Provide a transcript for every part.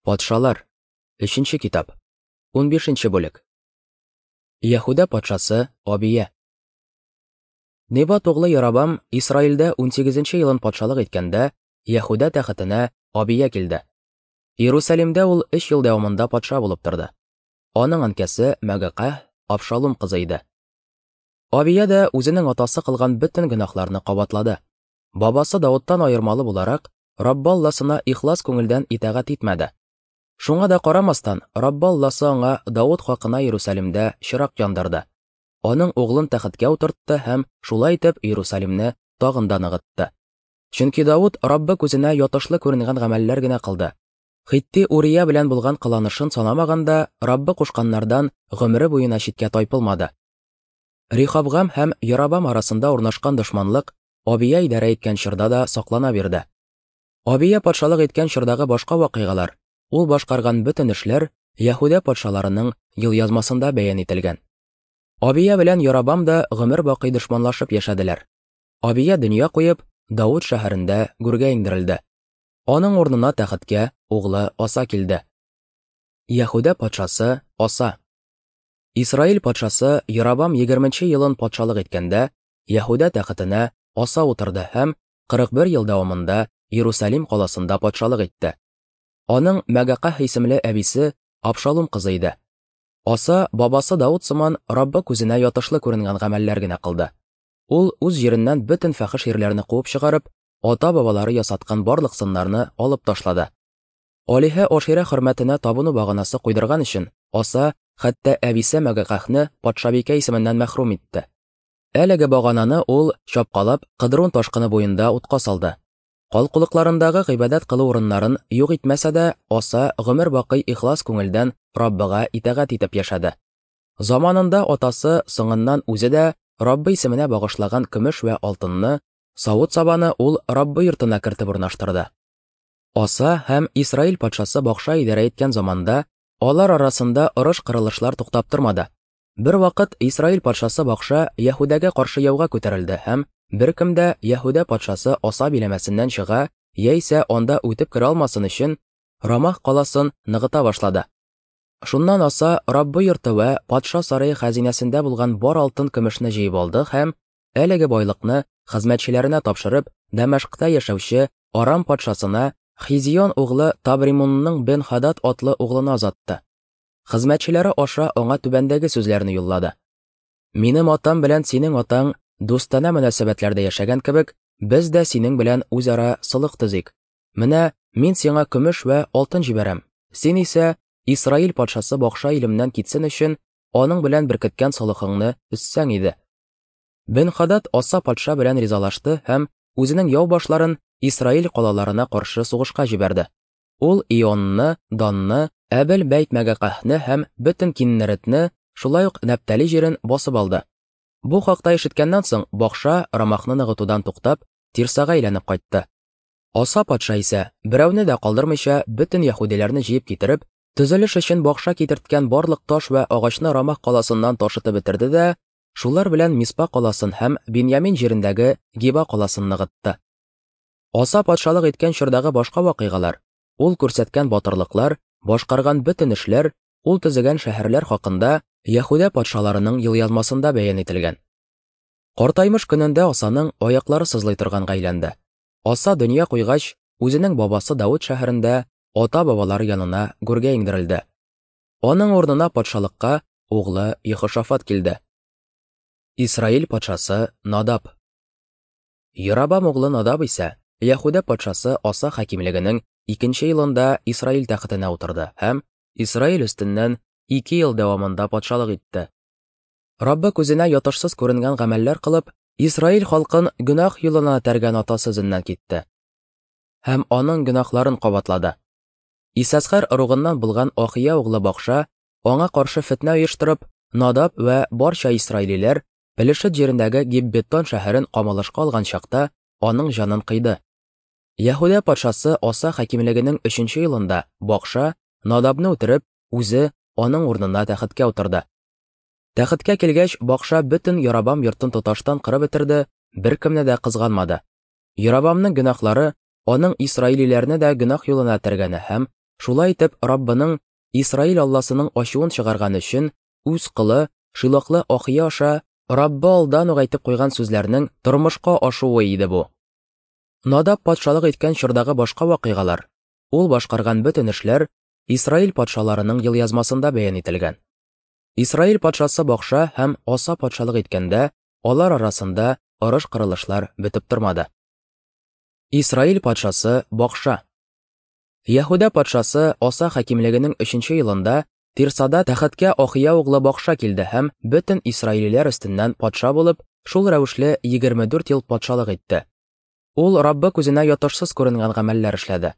Патшалар. Өченче китап. 15 бүлек. Яһүдә патшасы Абия. Небат углы Ярабам Исраилдә 18 елын патшалык иткәндә, Яһүдә тәхетенә Абия килде. Иерусалимдә ул 3 ел дәвамында патша булып торды. Аның әнкәсе Мәгакәһ Абшалум кызы иде. Абия дә үзенең атасы кылган бөтен гөнаһларны кабатлады. Бабасы Давыттан аермалы буларак, Раббы Алласына ихлас күңелдән итагать итмәде. Шуңа да карамастан, Раббы Алласы аңа Давыт хакына Иерусалимдә чырак яндырды. Аның углын тәхеткә утыртты һәм шулай итеп Иерусалимне тагын да ныгытты. Чөнки Давыт Раббы күзенә ятышлы күренгән гамәлләр генә кылды. Хитти Урия белән булган кыланышын санамаганда, Раббы кушканнардан гомере буена читкә тайпылмады. Рехабгам һәм Ярабам арасында урнашкан дошманлык Абия идарә иткән чорда да саклана бирде. Абия патшалык иткән чордагы башка вакыйгалар, ул башкарган бөтен эшләр Яһүдә патшаларының елъязмасында бәян ителгән. Абия белән Ярабам да гомер бакый дошманлашып яшәделәр. Абия дөнья куеп, Давыт шәһәрендә гүргә иңдерелде. Аның урынына тәхеткә углы Аса килде. Яһүдә патшасы Аса. Исраил патшасы Ярабам 20 елын патшалык иткәндә, Яһүдә тәхетенә Аса утырды һәм 41 ел дәвамында Иерусалим каласында патшалык итте. Аның Мәгакәһ исемле әбисе Абшалум кызы иде. Аса бабасы Давыт сыман Раббы күзенә ятышлы күренгән гамәлләр генә кылды. Ул үз җиреннән бөтен фәхеш ирләрне куып чыгарып, ата-бабалары ясаткан барлык сыннарны алып ташлады. Алиһә Аширә хөрмәтенә табыну баганасы куйдырган өчен Аса хәтта әбисе Мәгакәһне патшабикә исеменнән мәхрүм итте. Әлеге багананы ул, чапкалап, Кыдрун ташкыны буенда утка салды. Калкулыкларындагы гыйбадәт кылу урыннарын юк итмәсә дә, Аса гомер бакый ихлас күңелдән Раббыга итагать итеп яшәде. Заманында атасы, соңыннан үзе дә Раббы исеменә багышлаган көмеш вә алтынны, савыт-сабаны ул Раббы йортына кертеп урнаштырды. Аса һәм Исраил патшасы Бакша идарә иткән заманда алар арасында орыш-кырылышлар туктап тормады. Бервакыт Исраил патшасы Бакша Яһүдәгә каршы яуга күтәрелде һәм беркем дә Яһүдә патшасы Аса биләмәсеннән чыга яисә анда үтеп керә алмасын өчен Рамах каласын ныгыта башлады. Шуннан Аса Раббы йорты вә патша сарае хәзинәсендә булган бар алтын-көмешне җыеп алды һәм әлеге байлыкны хезмәтчеләренә тапшырып, Дәмәшкъта яшәүче Арам патшасына Хизион углы Табримунның Бен-Хадад атлы углына озатты. Хезмәтчеләре аша аңа түбәндәге сүзләрне юллады. Минем атам белән синең атаң дустанә мөнәсәбәтләрдә яшәгән кебек, без дә синең белән үзара солых төзик. Менә мин сиңа көмеш вә алтын җибәрәм. Син исә Исраил патшасы Бакша илемнән китсен өчен аның белән беркеткән солыхыңны өзсәң иде. Бен-Хадад Аса патша белән ризалашты һәм үзенең яу башларын Исраил калаларына каршы сугышка җибәрде. Ул Ионны, Данны, Әбел Бәйт-Мәгакәһне һәм бөтен Киннеретне, шулай ук Нәптали җирен басып алды. Бу хакта ишеткәннән соң, Бакша Рамахны ныгытудан туктап, Тирсага әйләнеп кайтты. Аса патша исә, берәүне дә калдырмыйча, бөтен яһүдиләрне җыеп китереп, төзелеш өчен Бакша китерткән барлык таш вә агачны Рамах каласыннан ташытып бетерде дә, шулар белән Миспа каласын һәм Биньямин җирендәге Гиба каласын ныгытты. Аса патшалык иткән чордагы башка вакыйгалар, ул күрсәткән батырлыклар, башкарган бөтен эшләр, ул төзегән шәһәрләр хакында Яһүдә патшаларының елъязмасында бәян ителгән. Картаймыш көнендә Асаның аяклары сызлый торганга әйләнде. Аса дөнья куйгач, үзенең бабасы Давыт шәһәрендә ата-бабалары янына гүргә иңдерелде. Аның урынына патшалыкка углы Ехошафат килде. Исраил патшасы Надаб. Ярабам углы Надаб исә Яһүдә патшасы Аса хакимлегенең икенче елында Исраил тәхетенә утырды һәм Исраил өстеннән 2 ел дәвамында патшалык итте. Раббы күзенә ятышсыз күренгән гамәлләр кылып, Исраил халкын гөнаһ юлына этәргән атасы эзеннән китте һәм аның гөнаһларын кабатлады. Исәсхәр ыругыннан булган Ахия углы Бакша аңа каршы фетнә оештырып, Надаб вә барча исраилиләр Пелешет җирендәге Гиббетон шәһәрен камалышка алган чакта аның җанын кыйды. Яһүдә патшасы Аса хакимлегенең өченче елында Бакша Надабны үтереп, үзе аның урынына тәхеткә утырды. Тәхеткә килгәч, Бакша бөтен Ярабам йортын тоташтан кырып бетерде, беркемне дә кызганмады. Ярабамның гөнаһлары аның исраилиләрне дә гөнаһ юлына этәргәне һәм Шулай итеп, Раббының, Исраил Алласының ачуын чыгарган өчен, үз колы Шилохлы Ахия аша Раббы алдан ук әйтеп куйган сүзләрнең тормышка ашуы иде бу. Надаб патшалык иткән чордагы башка вакыйгалар, ул башкарган бөтен эшләр Исраил патшаларының елъязмасында бәян ителгән. Исраил патшасы Бакша һәм Аса патшалык иткәндә, алар арасында орыш-кырылышлар бетеп тормады. Исраил патшасы Бакша. Яһүдә патшасы Аса хакимлегенең өченче елында Тирсада тәхеткә Ахия углы Бакша килде һәм бөтен исраилиләр өстеннән патша булып, шул рәвешле 24 ел патшалык итте. Ул Раббы күзенә ятышсыз күренгән гамәлләр эшләде.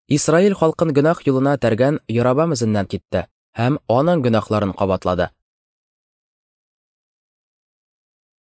Исраил халкын гөнаһ юлына этәргән Ярабам эзеннән китте һәм аның гөнаһларын кабатлады.